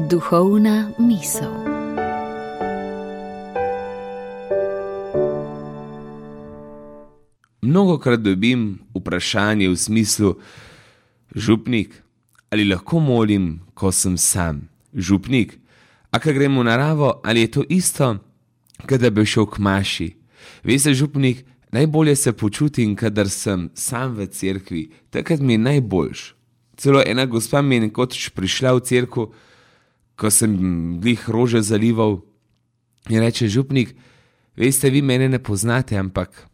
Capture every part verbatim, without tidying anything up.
Duhovna misel. Mnogokrat dobim vprašanje v smislu: župnik, ali lahko molim, ko sem sam? Župnik, a ko grem v naravo, ali je to isto, kot da bi šel k maši? Veste, župnik, najbolje se počutim, kadar sem sam v cerkvi, takrat mi je najboljš. Celo ena gospa mi je nekoč prišla v cerkev, ko sem glih rože zalival, in reče: župnik, veste, vi mene ne poznate, ampak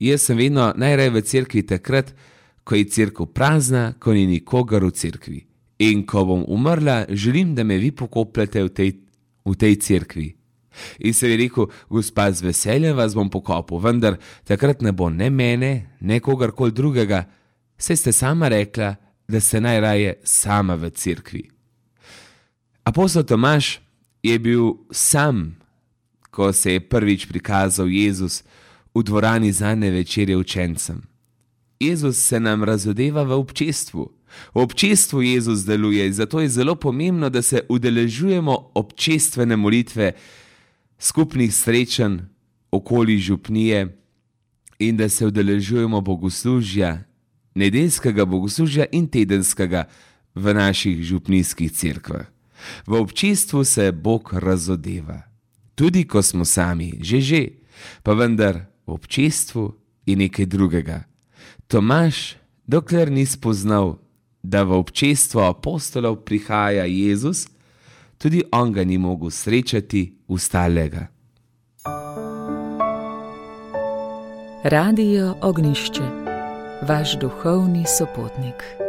jaz sem vedno najraje v cerkvi takrat, ko je cerkev prazna, ko ni nikogar v cerkvi. In ko bom umrla, želim, da me vi pokopljate v tej, v tej cerkvi. In se je rekel: gospa, z veseljem vas bom pokopal, vendar takrat ne bo ne mene, ne kogarkoli drugega, saj ste sama rekla, da ste najraje sama v cerkvi. Apostol Tomaž je bil sam, ko se je prvič prikazal Jezus v dvorani zadnje večerje učencem. Jezus se nam razodeva v občestvu. V občestvu Jezus deluje, zato je zelo pomembno, da se udeležujemo občestvene molitve, skupnih srečanj okoli župnije in da se udeležujemo bogoslužja, nedeljskega bogoslužja in tedenskega v naših župnijskih cerkvah. V občestvu se Bog razodeva, tudi ko smo sami, že že, pa vendar v občestvu je nekaj drugega. Tomaž, dokler ni spoznal, da v občestvo apostolov prihaja Jezus, tudi on ga ni mogel srečati ustalega. Radio Ognjišče, vaš duhovni sopotnik.